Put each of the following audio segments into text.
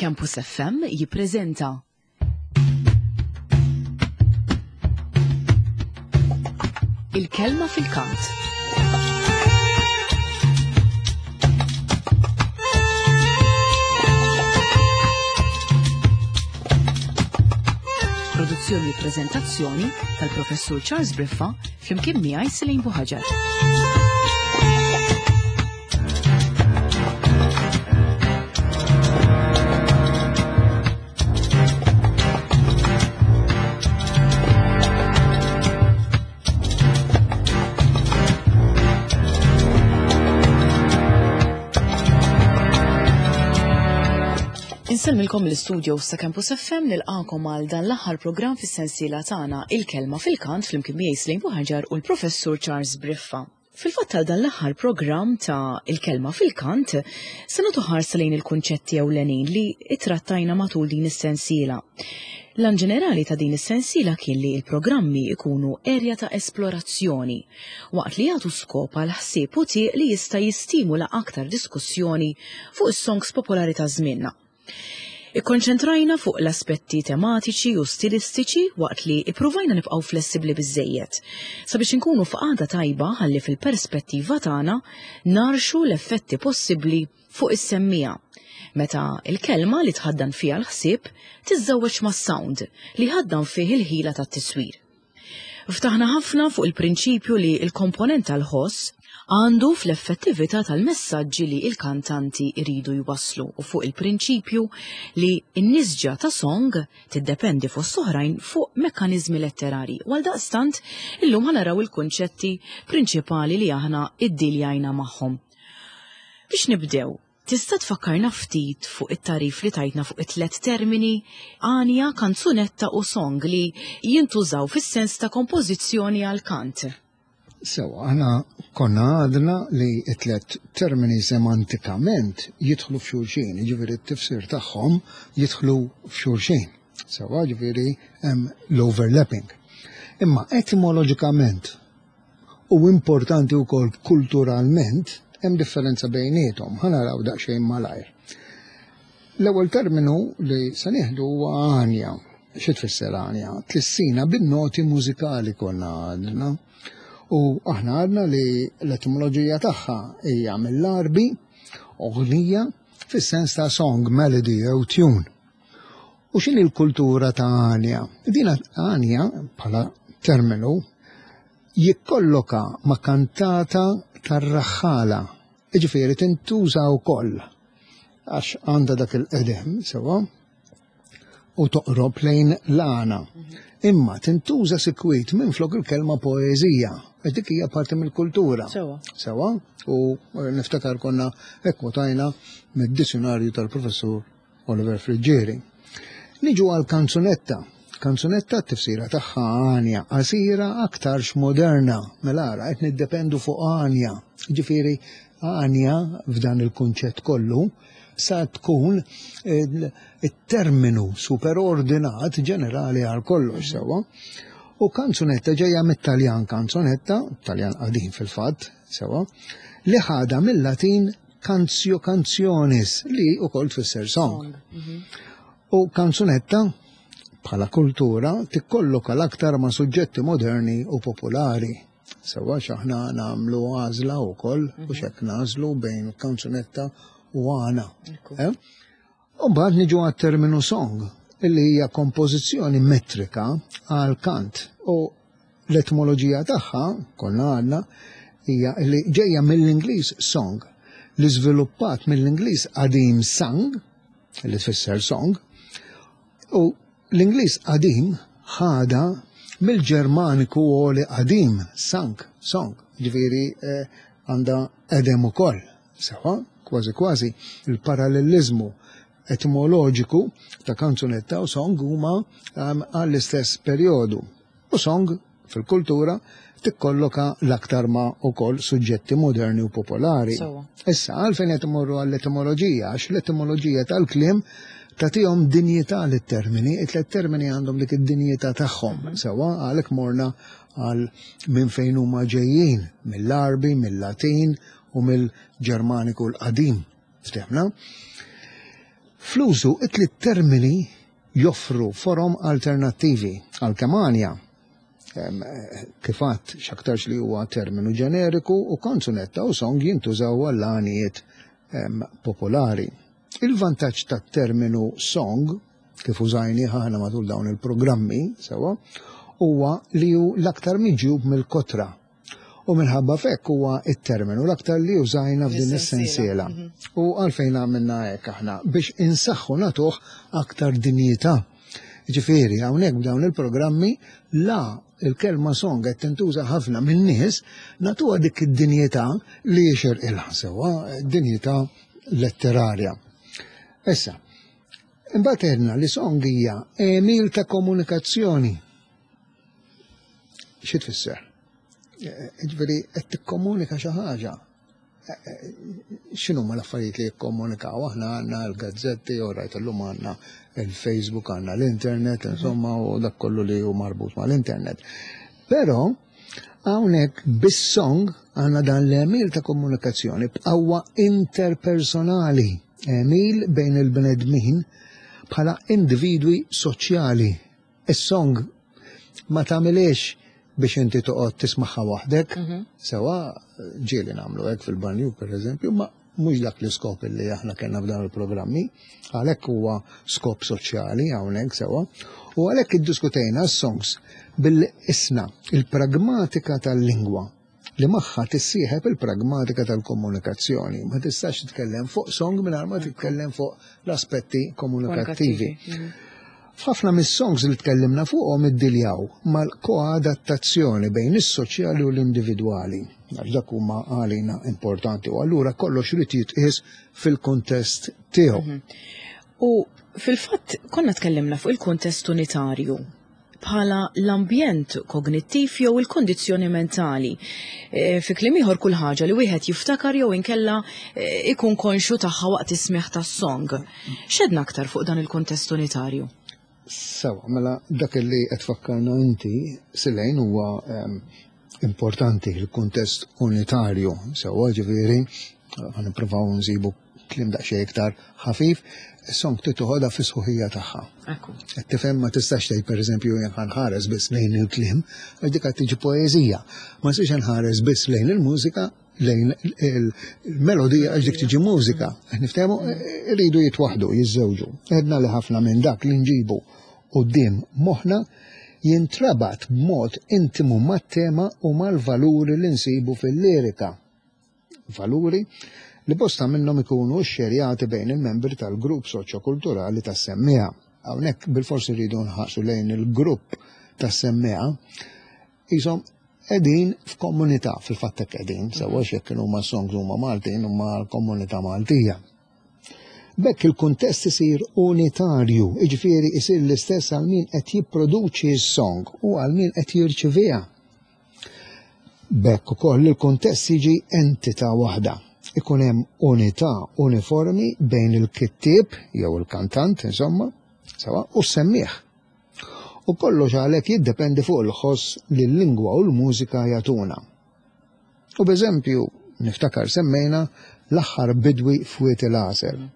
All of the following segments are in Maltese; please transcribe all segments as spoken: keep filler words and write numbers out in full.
Campus F M jippreżenta Il-Kelma fil-Kant. Produzzjoni u prezentazzjoni tal-Professur Charles Briffa flimkien miegħi, Selin Buħaġar. Insellmilkom l-istudio sa' Campus F M, nilqakom għal dan l-aħħar programm fis-sensiela tagħna Il-Kelma fil-Kant flimkien miegħi, Selin Buħaġar, u l-Professur Charles Briffa. Fil-fatt, għal dan l-aħħar programm ta' Il-Kelma fil-Kant se nagħtu ħarsa lejn il-kunċetti ewlenin li ittrattajna matul din is-sensiela. L-għan ġenerali ta' din is-sensiela kien li il-programmi ikunu erja ta' esplorazzjoni, waqt li jagħtu skop għal ħsieb u tieq li jista' jistimula aktar diskussjoni fuq is-songs popolari ta' żmienna. Ikkonċentrajna fuq l-aspetti tematiċi u stilistiċi waqt li ippruvajna nibqgħu flessibbli biżejjed sabiex inkunu f'qagħda tajba ħalli fil-perspettiva tagħna narxu l-effetti possibbli fuq is-semmiegħa meta il-kelma li tħaddan fiha l-ħsieb tiżżewweġ mas-sound li ħaddan fih il-ħila tat-tiswir. Ftaħna ħafna fuq il-prinċipju li il-komponent tal-ħoss għandu fl-effettività tal-messaġġi li il-kantanti iridu jwasslu u fuq il-prinċipju li n-nisġa ta' song tiddependi fost oħrajn fuq mekkaniżmi letterari. Għal daqstant, illum ħa naraw il-kunċetti prinċipali li aħna iddiljajna magħhom. Biex nibdew, tista' tfakkarna ftit fuq it-tagħrif li tajtna fuq it-tlet termini għanja, kanzunetta u song li jintużaw fis-sens ta' kompożizzjoni għal kant? Sewa, aħna konna għadna li it-tlet termini semantikament jidħlu f'xulxin, ġifieri t-tifsir tagħhom jidħlu f'xulxin. Sewa, ġifieri hemm l-overlapping. Imma etimoloġikament u importanti wkoll kulturalment hemm differenza bejniethom, ħa naraw daqsxejn malajr. L-ewwel terminu li se nieħdu huwa għanja. Xi tfisser għanja? Tlissina bin-noti mużikali, konna għadna. U aħna għadna li l-etimoloġija tagħha hija mill-Arbi, ognija, fis-sens ta' song, melody jew tune. U x'inhi l-kultura ta' għanja? Din għanja bħala terminu jikkolloka ma' kantata tar-raħħala. Iġifieri tintuża wkoll għax għandha dak il-qedem, sewa, u toqrob lejn l-għana. Imma tintuża sikwit minn flok il-kelma poeżija, għax dik hija parti mill-kultura. Sewa. Sewa, u niftakar konna ekkwotajna mid-dizzjonarju tal-professur Oliver Friggieri. Niġu għal kanzunetta. Kanzunetta t-tifsira tagħha għanja, qasira aktarx moderna, mela ara qed niddependu fuq għanja. Ġifieri għanja f'dan il-kunċett kollu sa tkun il-terminu superordinat ġenerali għal kollox, sewa. U kanzunetta ġejja mit-Taljan kanzunetta, Taljan qadim fil-fatt, sewa, li ħada mill-Latin canzio cantionis li wkoll tfisser song. U kanzunetta bħala kultura tikkolloka l-aktar ma' suġġetti moderni u popolari. Sewa, x'aħna nagħmlu għażla wkoll u xek nagħżlu bejn kanzunetta u għana. Eh? U mbagħad niġu għat-terminu song, illi hija kompożizzjoni metrika għal kant. U l-etimoloġija tagħha, konna għadna, hija li ġejja mill-Ingliż song, li żviluppat mill-Ingliż qadim sang, li tfisser song, u l-Ingliż qadim ħada mill-Ġermaniku għoli qadim, sang, song, ġifieri eh, għandha qedem ukoll. Sewa, kważi kważi il-parallelizmu etimoloġiku ta' kanzunetta u song huma um, għall-istess perjodu. U song fil-kultura tikkolloka l-aktar ma' ukoll suġġetti moderni u popolari. Sewa. Issa, għalfejn qed imorru għall-etimoloġija, għax l-etimoloġija tal-kliem tagħtihom dinjità lit-termini, it-tlet termini għandhom dik id-dinjità tagħhom. Sewa, għalhekk morna għal minn fejn huma ġejjin, mill-Arbi, mill-Latin u mill-Ġermaniku l-qadim. Ftehmna? Fl-użu it-tliet termini joffru forom alternattivi għalkemm għanja kif għedt x'aktarx li huwa terminu ġeneriku u kanzunetta u song jintużaw għall-għanijiet popolari. Il-vantaġġ tat-terminu song, kif użajni aħna matul dawn il-programmi, sewa, huwa li hu l-aktar miġjub mill-kotra. U minħabba f'hekk huwa it-terminu l-aktar li użajna f'din is-sensiela. Mhm. U għalfejn għamilna hekk aħna biex insaħħu nagħtuh aktar dinjità. Ġifieri, hawnhekk b'dawn il-programmi la il-kelma song qed tintuża ħafna min-nies, nagħtuha dik id-dinjità li jixirqilha sewwa, dinjità letterarja. Issa, imbagħad għedna li song hija għemil ta' komunikazzjoni. Xi tfisser? Ġifieri qed tikkomunika xi ħaġa. X'inhuma l-affarijiet li jikkomunikaw? Aħna għandna l-gazzetti, u rajt illum għandna il-Facebook, għandna l-internet, insomma, u dak kollu li hu marbut mal-internet. Però hawnhekk bis-song għandna dan l-għemil ta' komunikazzjoni b'qawwa interpersonali, għemil bejn il-bnedmin bħala individwi soċjali. Is-song ma tagħmilx biex inti toqgħod tismagħha waħdek, mhm. sewa ġieli nagħmlu hekk fil-banju pereżempju, ma mhux dak l-iskop li aħna kellna f'dan il-programmi, għalhekk huwa skop soċjali hawnhekk sewa, u għalhekk iddiskutejna s-songs bil-isna il-pragmatika tal-lingwa li magħha tissieħeb il-pragmatika tal-komunikazzjoni. Ma tistax titkellem fuq song mingħajr ma titkellem fuq l-aspetti komunikattivi. Mhm. F'ħafna mis-songs li tkellimna fuqhom iddiljaw mal-koadattazzjoni bejn is-soċjali u l-individwali. Għax dak huma għalina importanti u allura kollox irid jitqies fil-kuntest tiegħu. Mhm. U fil-fatt konna tkellimna fuq il-kuntest unitarju bħala l-ambjent kognittiv jew il-kondizzjoni mentali. E, fi kliem ieħor kull ħaġa li wieħed jiftakar jew inkella e, ikun konxu tagħha waqt is-smigħ tas-song. X'għedna aktar fuq dan il-kuntest unitarju? Sewa, mela dak li qed tfakkarna inti Silejn huwa importanti il-kuntest unitarju. Sewa ġifieri ħa nippruvaw nsibu kliem daqsxejn iktar ħafif, is-song titoħodha fis-sħuħija tagħha. Qed tifhem ma tistax tgħid pereżempju jien ħanħares biss lejn il-kliem, għax dik qed tiġi poeżija. Ma nistax nħares biss lejn il-mużika, lejn il-melodija għax dik tiġi mużika. Niftehmu iridu jitwaħdu, jiżżewġu. Għedna li ħafna minn dak li nġibu quddiem moħħna jintrabat b'mod intimu mat-tema u mal-valuri li nsibu fil-lirika. Valuri li bosta minnhom ikunu xxerjati bejn il-membri tal-grupp soċjokulturali tas-semmiegħa. Hawnhekk bilfors irridu nħarsu lejn il-grupp tas-semmiegħa qishom qegħdin f'komunità, fil-fatt hekk qegħdin, sewa jekk kienu huma songs huma Maltin huma l-komunità Maltija. B'hekk il-kuntest isir unitarju, jiġifieri isir l-istess għal min qed jipproduċi s-song u għal min qed jirċiviha. B'hekk ukoll il-kuntest jiġi entità waħda. Ikun hemm unità uniformi bejn il-kittieb jew il-kantant, insomma, sewa, u s-semmiegħ. U kollox għalhekk jiddependi fuq il-ħoss li l-lingwa u l-mużika jagħtuna. U b'eżempju, niftakar semmejna l-aħħar bidwi f'Wied il-Għasel.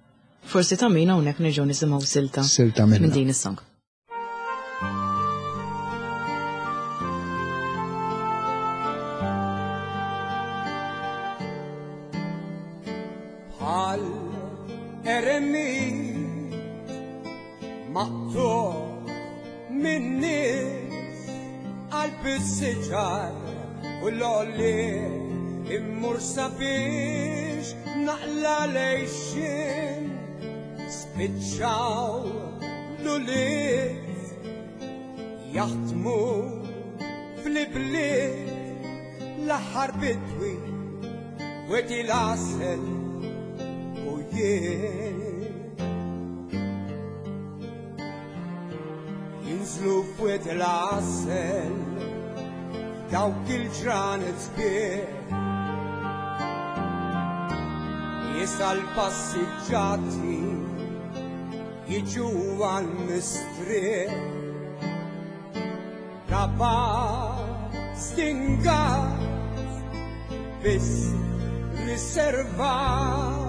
Forsi ta' min hawnhekk nerġgħu nisimgħu silta Silta minna. minn din is-song. Bħal eremit maqtugħ min-nies qalb is-siġar u l-għolliet immur sabiex naqla l-għixien spiċċaw l-ulied jaħdmu fl-ibliet l-aħħar bidwi Wied il-Għasel u jien. Jinżlu f'Wied il-Għasel dawk il-ġranet sbieħ Jisa l-passiġġati jiġu għal-mistrieħ Raba stingat biss riservat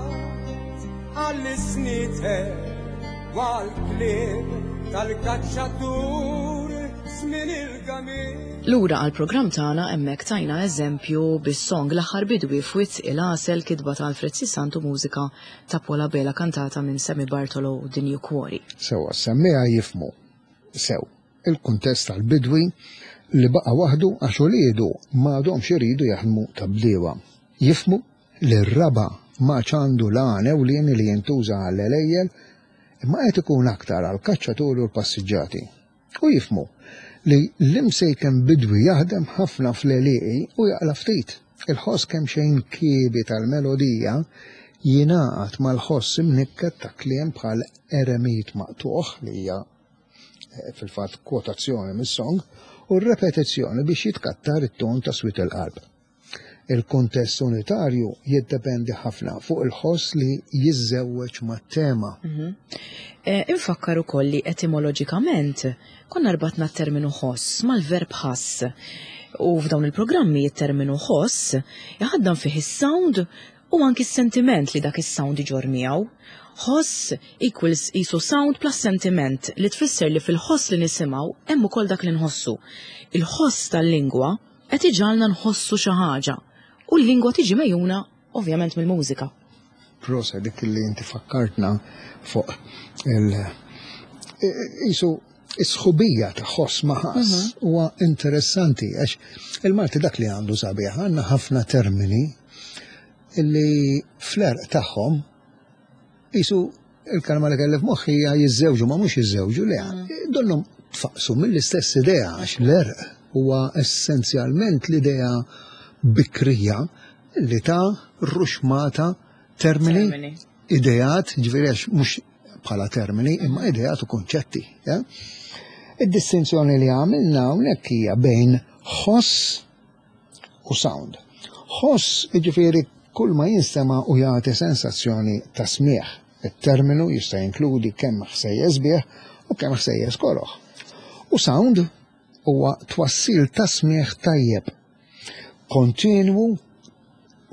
għall-isnitet Għal-klib tal-kaċċatur żmien il-gamil. Lura għal-programm tagħna, hemmhekk tajna eżempju bis-song L-Aħħar Bidwi f'Wied il-Għasel, kitba ta' Alfred Sisantu, mużika ta' Paul Abela, kantata minn Sammy Bartolo u Dinju Cuori. Sewa, semmiegħa jifhmu sew il-kuntest tal-bidwi li baqa waħdu għax uliedu m'għadhomx iridu jaħdmu ta' bdiewa. Jifhmu li r-raba ma għandu l-għan ewlieni li jintuża għall-għelejjel, imma qed ikun aktar għal kaċċaturi u l-passiġġati. U jifhmu li l-imsejken bidwi jaħdem ħafna fl-għelieqi u jaqla ftit. Il-ħoss kemm xejn kiebi tal-melodija jingħaqad mal-ħoss imnikket ta' kliem bħal eremit maqtuħ, li hija eh, fil-fatt kwotazzjoni mis-song, u r-repetizzjoni biex jitkattar it-ton ta' swied il-qalb. Il-kuntest unitarju jiddependi ħafna fuq il-ħoss li jiżżewweġ mat-tema. Eh, Infakkar ukoll li etimoloġikament konna rbatna t-terminu ħoss mal-verb ħass. U f'dawn il-programmi it-terminu ħoss jaħaddan fih is-sound u anki s-sentiment li dak is-sound iġorr miegħu. Ħoss equals isu sound plus sentiment, li tfisser li fil-ħoss li nisimgħu hemm ukoll dak li nħossu. Il-ħoss tal-lingwa qed iġagħalna nħossu xi ħaġa u l-lingwa tiġi megħjuna ovvjament mill-mużika. Proset dik li inti fakkartna fuq il isu is-sħubija ta' ħoss ma' ħass huwa interessanti, għax il-Malti dak li għandu sabiħ, għandna ħafna termini illi fl-għerq tagħhom isu il-kelma li kelli f'moħħi hija jiżżewġu, ma mhux jiżżewġu, le, donnhom tfaqsu mill-istess idea, għax l-għerq huwa essenzjalment l-idea bikrija li ta' ruxmata termini, Termini. ideat, ġifieri għax mhux bħala termini, imma ideat u konċetti. Ja? Id-distinzjoni li għamilna hawnhekk hija bejn ħoss u sound. Ħoss, ġifieri kull ma jinstema u jagħti sensazzjoni ta' smieħ. Il-terminu jista' jinkludi kemm ħsejjes sbieħ u kemm ħsejjes koroħ. U sound huwa twassil ta' smieħ tajjeb, kontinwu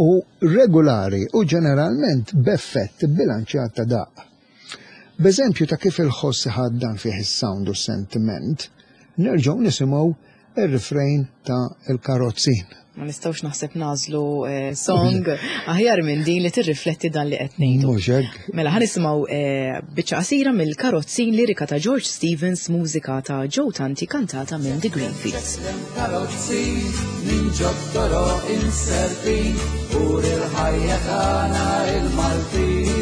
u regolari u ġeneralment b'effett bilanċjat ta' daq. B'eżempju ta' kif il-ħoss ħaddan fih is-sound u sentiment, nerġgħu nisimgħu ir-refrain ta' Il-Karozzin. Ma nistgħux naħseb nagħżlu eh, song aħjar minn din li tirrifletti dan li qed ngħidu. Mhux hekk? Mela ħa nisimgħu eh, biċċa qasira mill-Karozzin, lirika ta' George Stevens, mużika ta' Joe Tanti, kantata minn The Greenfields. Karozzin minn ġot-toroq imserpin u il-ħajja tagħna il-Maltin.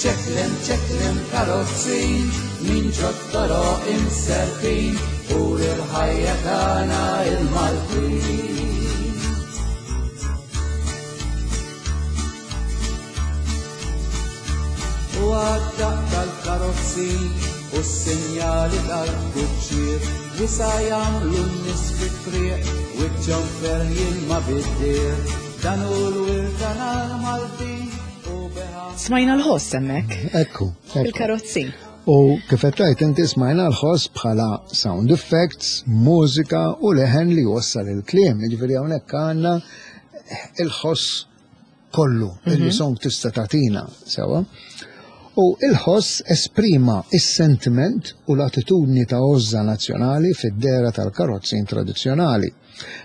Ċeklem ċeklem karozzin minn ġot-toroq imserpin u il-ħajja tagħna il-Maltin. U għad-daqq tal-karozzin u s-sinjali tal-kuċċier wisa jagħmlu n-nies fit-triq wiċċhom ferħ jilma bid-dir. Dan hu l-wirt tagħna l-Maltin u beħa. Smajna l-ħoss hemmhekk. Ekku, ekku. Il-karozzin. U kif qed tgħid inti, smajna l-ħoss bħala sound effects, mużika u leħen li jwassal il-kliem. Jiġifieri hawnhekk għandna il-ħoss kollu illi song tista' tagħtina sewa. U il-ħoss esprima is-sentiment u l-attitudni ta' għożża nazzjonali fid-dehra tal-karozzin tradizzjonali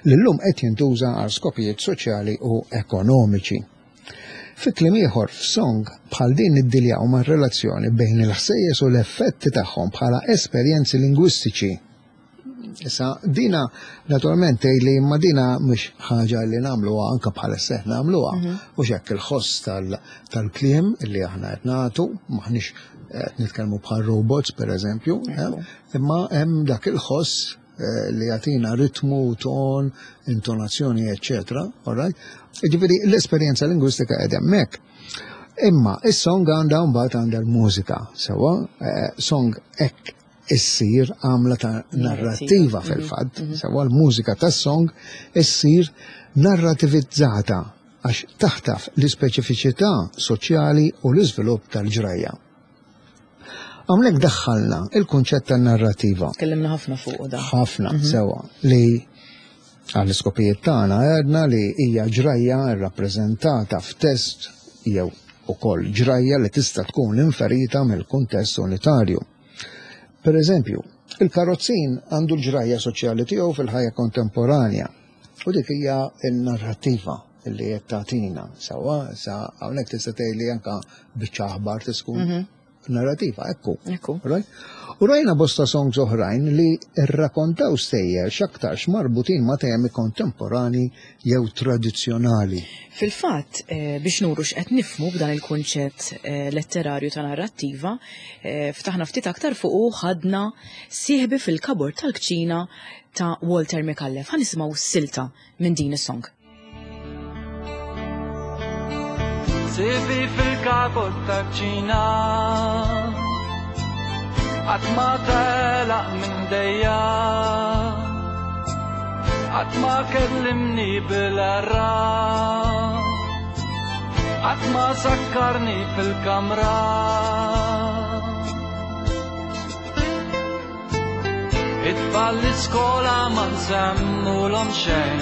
li llum qed jintuża għal skopijiet soċjali u ekonomiċi. Fi kliem ieħor, f'song bħal din niddiljaw ma' relazzjoni bejn il-ħsejjes u l-effetti tagħhom bħala esperjenzi lingwistiċi. Issa, dina naturalment li imma dina mhux ħaġa li nagħmluha anke bħala seħ nagħmluha. U hekk il-ħoss tal- tal-kliem li aħna qed nagħtu, maħniex qed nitkellmu bħal robots pereżempju, eh, imma hemm dak il-ħoss eh, li jagħtina ritmu, ton, intonazzjoni, eccetera. All right? Ġifieri l-esperjenza lingwistika qed hemmhekk. Imma is-song għandha mbagħad għandha l-mużika, sewwa, eh, song hekk issir għamla ta' narrattiva fil-fatt, sewwa, l-mużika tas-song issir narrativizzata għax taħtaf l-ispeċifiċità soċjali u l-iżvilupp tal-ġrajja. Hawnhekk daħħalna il-kunċett tan-narrativa. Tkellimna ħafna fuq da. Ħafna, sewa, li għall-iskopijiet tagħna għedna li hija ġrajja rrappreżentata f'test jew ukoll ġrajja li tista' tkun inferita mill-kuntest unitarju. Per eżempju, il-karozzin għandu l-ġrajja soċjali tiegħu fil-ħajja kontemporanja u dik hija n-narrattiva li qed tagħtina. Sewwa, sa hawnhekk tista' tgħidli anke biċċa aħbar tkun mhm. narrativa, ekku. Ekku. Right? U rajna bosta songs oħrajn li rrakkontaw stejjer x'aktarx marbutin ma' temi kontemporani jew tradizzjonali. Fil-fatt, eh, biex nuru x'qed nifhmu b'dan il-kunċett eh, letterarju ta' narrattiva, eh, ftaħna ftit aktar fuq u ħadna Sieħbi fil-Kabord tal-Kċina ta' Walter Micallef. Ħa nisimgħu silta minn din is-song. Sieħbi fil-kabord tal-kċina Qatt ma telaq minn dejja Qatt ma kellimni bil-erra Qatt ma sakkarni fil-kamra It-tfal l-iskola ma nsemmulhom xejn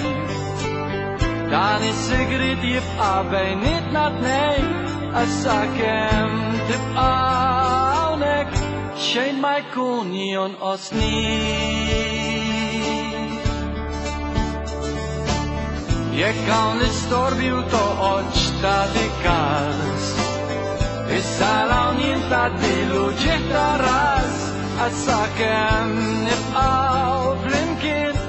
Dan is-sigriet jibqa' bejnietna tnejn Issa kemm tibqa' hawnhekk xejn ma jkun jonqosni. Jekk hawn l-istorbju toqgħodx tagħti każ Issa hawn jien tgħaddi l-uġigħ ta' ras Issa kemm nibqgħu flimkien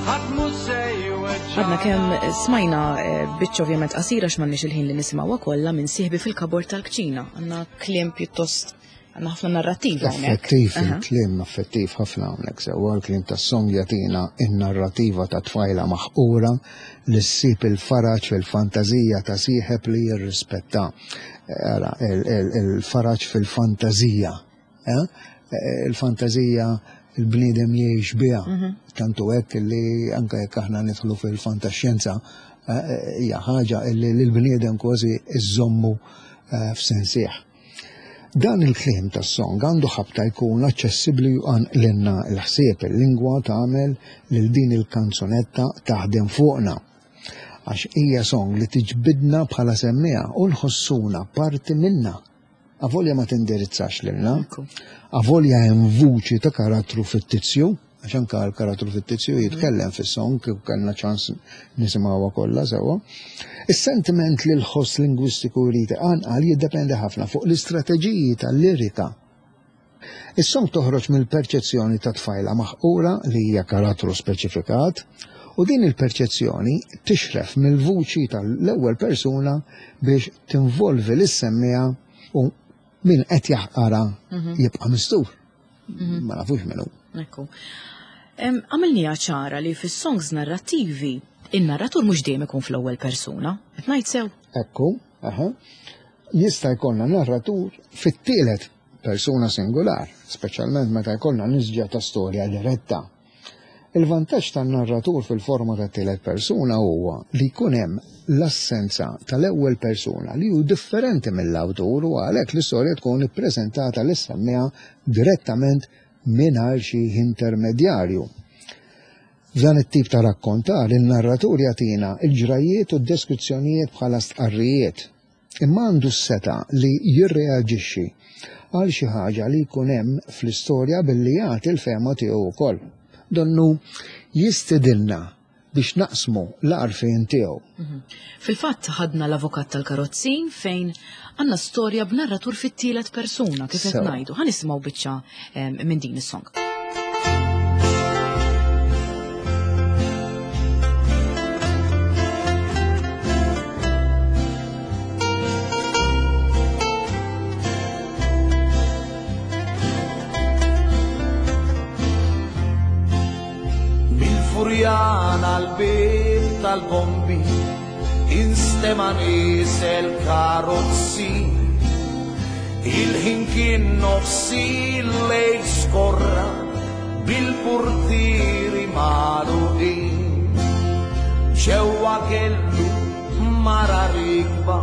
ħadd mhu se jweġġa'. Għadna kemm smajna eh, biċċa ovvjament qasira x'm'għandniex il-ħin li nisimgħuha kollha minn Sieħbi fil-Kabord tal-Kċina. Għandna kliem pjuttost għandna ħafna narrattiva hawnhekk. Effettiv Aha. il-kliem effettiv ħafna hawnhekk sewwa l-kliem tas-song jagħtina in-narrativa ta' tfajla maħqura li ssib il-faraġ fil-fantażija ta' sieħeb li jirrispetta. Ara, il-faraġ fil-fantażija. eh? Il-fantażija il-bniedem jgħix biha. Mhm. Tantu hekk li anke jekk aħna nidħlu fil-fantaxjenza eh, hija ħaġa li l-bniedem kważi iżommu eh, f'sensih. Dan il-kliem tas-song għandu ħabta jkun aċċessibbli u għanqlinna l-ħsieb, il-lingwa tagħmel lil din il-kanzunetta taħdem fuqna. Għax hija song li tiġbidna bħala semmiegħa u nħossuna parti minna. Avolja ma tindirizzax lilna, Ekku. avolja hemm vuċi ta' karattru fittizju, għax anke l-karattru fittizju jitkellem fis-song kif kellna ċans nisimgħuha kollha sewwa. Is-sentiment li l-ħoss lingwistiku jrid iqanqal jiddependi ħafna fuq l-istrateġiji tal-lirika. Is-song toħroġ mill-perċezzjoni ta' tfajla maħqura li hija karattru speċifikat u din il-perċezzjoni tixref mill-vuċi tal-ewwel persuna biex tinvolvi lis-semmiegħa u min qed jaħqara jibqa' mistur. Ma nafux min hu. Ekku. Em, Għamilniha ċara li fis-songs narrattivi in-narratur mhux dejjem ikun fl-ewwel persuna. Qed ngħid sew? Ekku, aha. Jista' jkollna narratur fit-tielet persuna singular, speċjalment meta jkollna nisġa ta' storja diretta. Il-vantaġġ tan-narratur fil-forma ta' tielet persuna huwa li jkun hemm l-assenza tal-ewwel persuna li hu differenti mill-awtur u għalhekk l-istorja tkun ippreżentata lis-semmiegħa direttament mingħajr xi intermedjarju. F'dan it-tip ta' rakkontar, il-narratur jagħtina il-ġrajiet u d-deskrizzjonijiet bħala stqarrijiet, imma għandu s-seta li jirreaġixxi għal xi ħaġa li jkun hemm fl-istorja billi jagħti l-fehma tiegħu wkoll. Donnu jistedinna biex naqsmu l-għarfien tiegħu. Mhm. Fil-fatt ħadna l-avukat tal-karozzin fejn għandna storja b'narratur fit-tielet persuna kif qed Sewa. ngħidu. Ħa nisimgħu biċċa em, minn din is-song. Mil-Furjana l-bib tal-bombi instema nisel karozzi Il-ħin kien nofsi lejl skorra bil-portieri magħluqin Ġewwa kellu mara rikba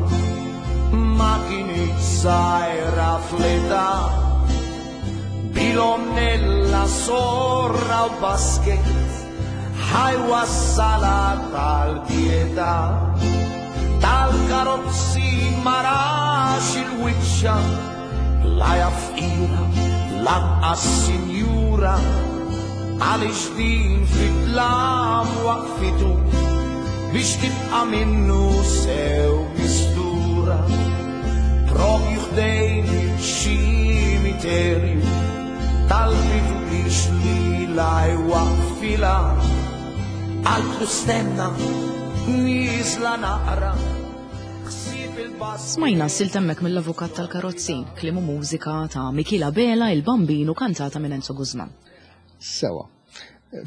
ma kinitx żgħira fl-età Bilomnella sorra u basket ħajwa s-sala tal-pietà. Tal-karozzi ma rax il-wiċċa, la jaf fqira lanqas sinjura, għaliex din fit-tlam waqfitu biex tibqa' minnu sew mistura. Propju ħdejn iċ-ċimiterju talbitu biex lilha jwaqqfilha, qaltlu stenna nieżla naqra. Smajna silta hemmhekk mill-Avukat tal-Karozzin, kliem u mużika ta' Michela Bela, il-Bambinu, kantata minn Enzo Guzman. Sewa.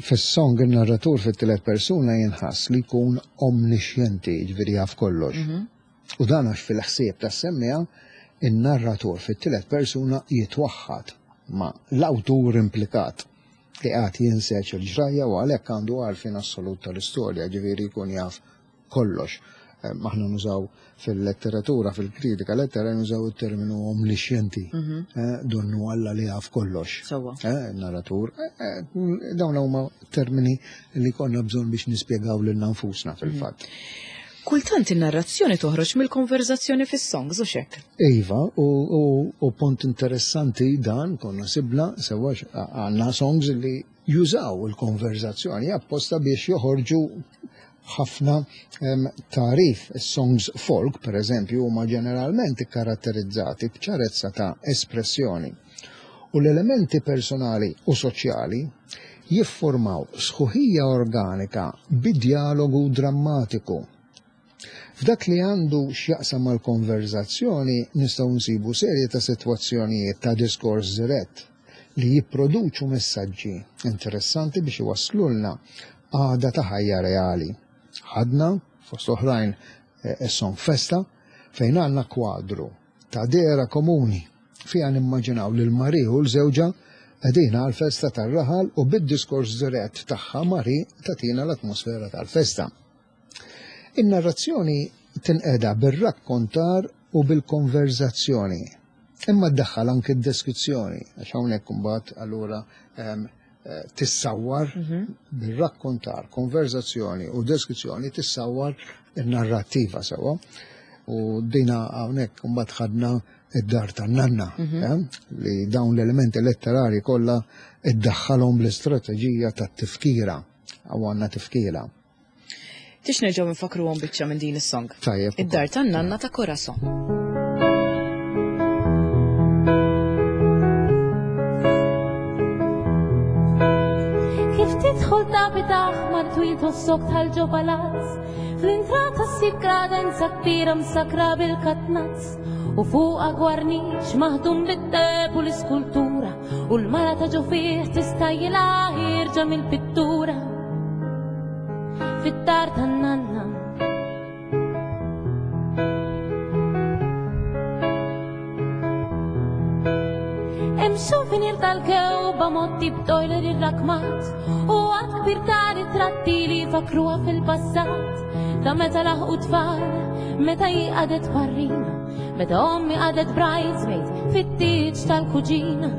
Fis-song il-narratur fit-tielet persuna jinħass li jkun omniscienti, ġifieri jaf kollox. U dan għax fil-ħsieb tas-semmiegħa in-narratur fit-tielet persuna jitwaħħad ma' l-awtur implikat li għad jinseċ il-ġrajja u għalhekk għandu għarfien assolut tal-istorja, ġifieri jkun jaf kollox. Eh, Aħna nużaw fil-letteratura, fil-kritika lettera nużaw il-terminu omniscienti, eh, donnu Alla li jaf kollox. Sewwa. Eh, narratur, eh, eh, dawn huma termini li konna bżonn biex nispjegaw lil nfusna fil-fatt. Kultant in-narrazzjoni toħroġ mill-konverzazzjoni fis-songs u xek. Iva, u, u, u punt interessanti dan konna sibna sewa għandna songs li jużaw il-konverzazzjoni apposta biex joħorġu ħafna em, tarif. Songs folk, per eżempju, huma ġeneralment ikkaratterizzati b'ċarezza ta' espressjoni. U l-elementi personali u soċjali jiffurmaw sħuħija organika bid-dialogu drammatiku. F'dak li għandu x'jaqsam mal-konverzazzjoni nistgħu nsibu serje ta' sitwazzjonijiet ta' diskors dirett li jipproduċu messaġġi interessanti biex iwasslulna għada ta' ħajja reali. Ħadna, fost oħrajn, eh, song Festa, fejn għandna kwadru ta' dehra komuni fija nimmaġinaw lil Mari u l-żewġa qegħdin għal-festa tar-raħal u bid-diskors dirett tagħha Mari tatina l-atmosfera tal-festa. In-narrazzjoni tinqeda bir-rakkontar u bil-konverzazzjoni. Imma ddaħħal anke d-deskrizzjoni, għax hawnhekk imbagħad allura em, eh, tissawwar bir-rakkontar, konverzazzjoni u deskrizzjoni tissawwar in-narrattiva sewwa. U dina hawnhekk imbagħad ħadna id-dar tan-nanna, eh, li dawn l-elementi letterari kollha iddaħħalhom bl-istrateġija tat-tifkira, għaw għandna tifkira. Tix nerġgħu nfakruhom biċċa minn din is-song. Tajjeb. Id-dar tan-nanna ta' Corazon. Kif tidħol tapit aħmar twil tossok tal-ġo palazz, fl-intrata ssib kredenza kbira msakra bil-katnazz, u fuqha gwarniċ maħdum bid-deheb u l-iskultura, u l-mara ta' ġo fih tistajla ħierġa mill-pittura. Fid-dar tan-nanna. Hemm souvenir tal-kewba motti b'toiler irrakmat u għadd kbir ta' ritratti li fakruha fil-passat ta' meta laħqu tfal, meta hi qagħdet parrina, meta ommi qagħdet bridesmaid fit-tieġ tal-kuġina.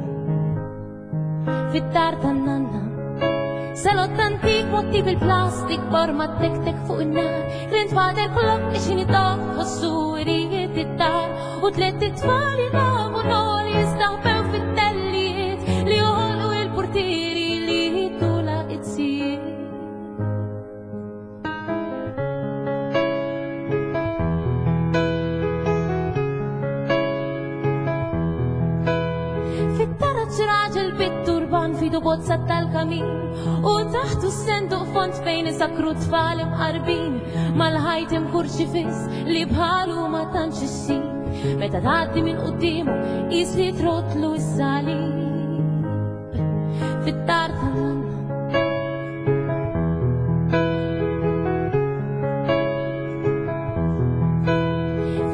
Fid-dar tan-nanna. Salott antik motti bil-plastik borma tek-tek fuq in-nar, grandfather clock ixin itoq ħossu irijiet id-dar, u tliet itfal jilagħbu nol jistaħbew fit-tellijiet li joħolqu il-portieri li tula it-sijiet. Fit-taraġ raġel bit-turban fidu bozza tal-kamin u taħtu s-senduq font fejn isakru tfal imqarbin mal-ħajt hemm kurċifiss li bħalu ma tantx issib, meta tgħaddi minn quddiemu qis li trotlu s-salib. Fid-dar tan-nanna.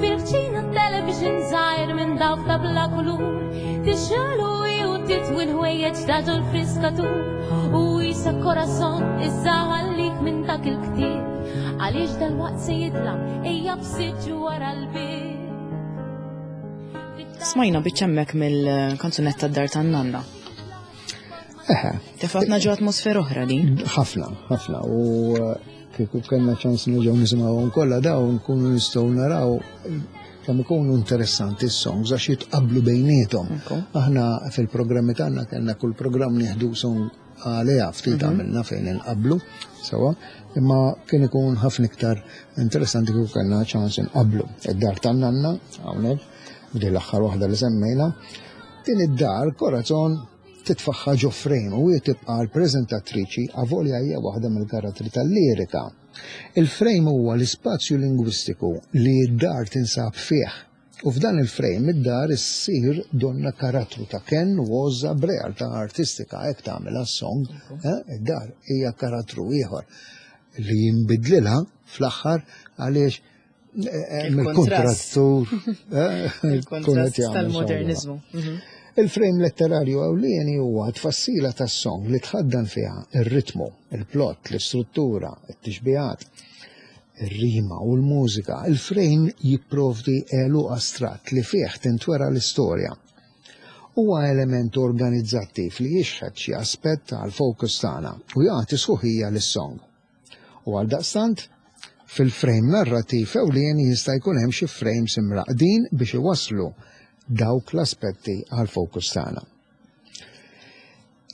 Fil-kċina television żgħir minn dawk ta' bla kulur, tixgħelu u titwi l-ħwejjeġ ta' ġol-friskatur, u jisa Corazon issa ħallik minn dak il-ktieb, għaliex dalwaqt se jidlam ejja b'siġġu wara l-bieb. Smajna biċċa hemmhekk mill-kanzunetta d-dar tan-nanna. Eħe. Tefatna ġo atmosfera oħra din. Ħafna, ħafna. U eh, Kieku kellna ċans nerġgħu nisimgħuhom kollha dawn, nkunu nistgħu naraw kemm ikunu interessanti s-songs għax jitqablu bejniethom. Aħna fil-programmi tagħna kellna kull programm nieħdu song għaliha, ftit għamilna fejn inqablu sewa, imma kien ikun ħafna iktar interessanti kieku kellna ċans inqablu. Id-dar tan-nanna hawnhekk, b'din l-aħħar waħda li semmejna, din id-dar Corazon titfaħħa ġo frame u hi tibqa' l-preżentatriċi avolja hija waħda mill-karattri tal-lirika. Il-frame huwa l-ispazju lingwistiku li d-dar tinsab fih. U f'dan il-frame id-dar issir donna karattru ta' ken u għożża b'realtà artistika, hekk tagħmilha s-song, eh? Id-dar hija karattru ieħor li jinbidlilha fl-aħħar għaliex hemm il-kontrattur. Il-kontrast tal-modernizmu. Mhm. Il-frame letterarju ewlieni huwa tfassila tas-song li tħaddan fiha ir-ritmu, il-plot, l-istruttura, it-tixbihat, ir-rima u l-mużika. Il-frame jipprovdi għeluq astratt li fih tintwera l-istorja. Huwa element organizzattiv li jixħet xi aspett tal-focus tagħna u jagħti sħuħija lis-song. U għaldaqstant, fil-frame narrativ ewlieni jista' jkun hemm xi frames imraqdin biex iwasslu dawk l-aspetti għal-focus tagħna.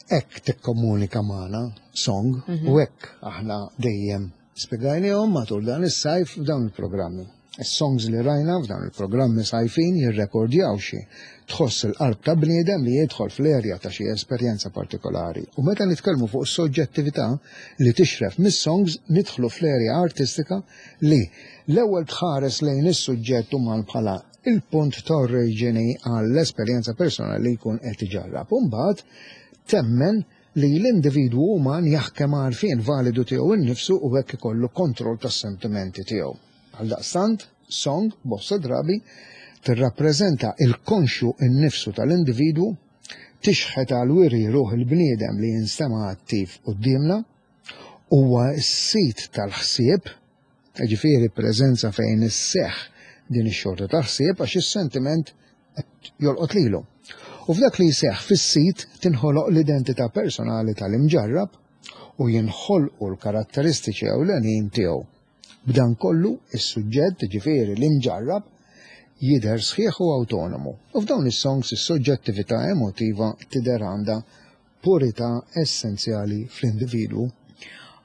Hekk tikkomunika magħna song u hekk aħna dejjem spjegajnihom matul dan is-sajf f'dawn il-programmi. Is-songs li rajna f'dawn il-programmi sajfin jirrekordjaw xi tħoss il-qalb ta' bniedem li jidħol fl-erja ta' xi esperjenza partikolari. U meta nitkellmu fuq soġġettività li tixref mis-songs, nidħlu fl-erja artistika li l-ewwel tħares lejn is-suġġett uman bħala il-punt ta' oriġini għall-esperjenza personali li jkun qed iġarrab. U mbagħad temmen li l-individwu uman jaħkem għarfien validu tiegħu innifsu u hekk ikollu kontroll tas-sentimenti tiegħu. Għaldaqstant, song, bosta drabi, tirrappreżenta il-konxju innifsu tal-individwu, tixħet għal wiri ruħ il-bniedem li jinstema' attiv quddiemna, huwa s-sit tal-ħsieb, ġifieri preżenza fejn isseħħ din ix-xorta ta' ħsieb għax is-sentiment qed jolqot lilu. U f'dak li jseħħ fis-sit tinħoloq l-identità personali tal-imġarrab u jinħolqu l-karatteristiċi ewlenin tiegħu. B'dan kollu is-suġġett, ġifieri l-imġarrab, jidher sħiħ u autonomu. U f'dawn is-songs is-soġġettività emotiva tidher għandha purità essenzjali fl-individwu.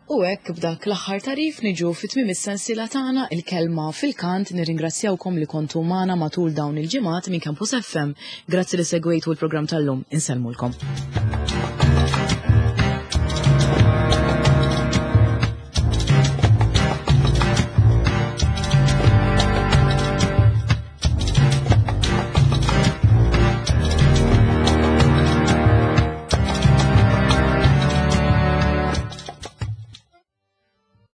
U hekk b'dak l-aħħar tagħrif niġu fi tmiem is-sensiela tagħna Il-Kelma fil-Kant. Nirringrazzjawkom li kontu magħna matul dawn il-ġimgħat minn Campus F M. Grazzi li segwejtu l-programm tal-lum. Insellmulkom.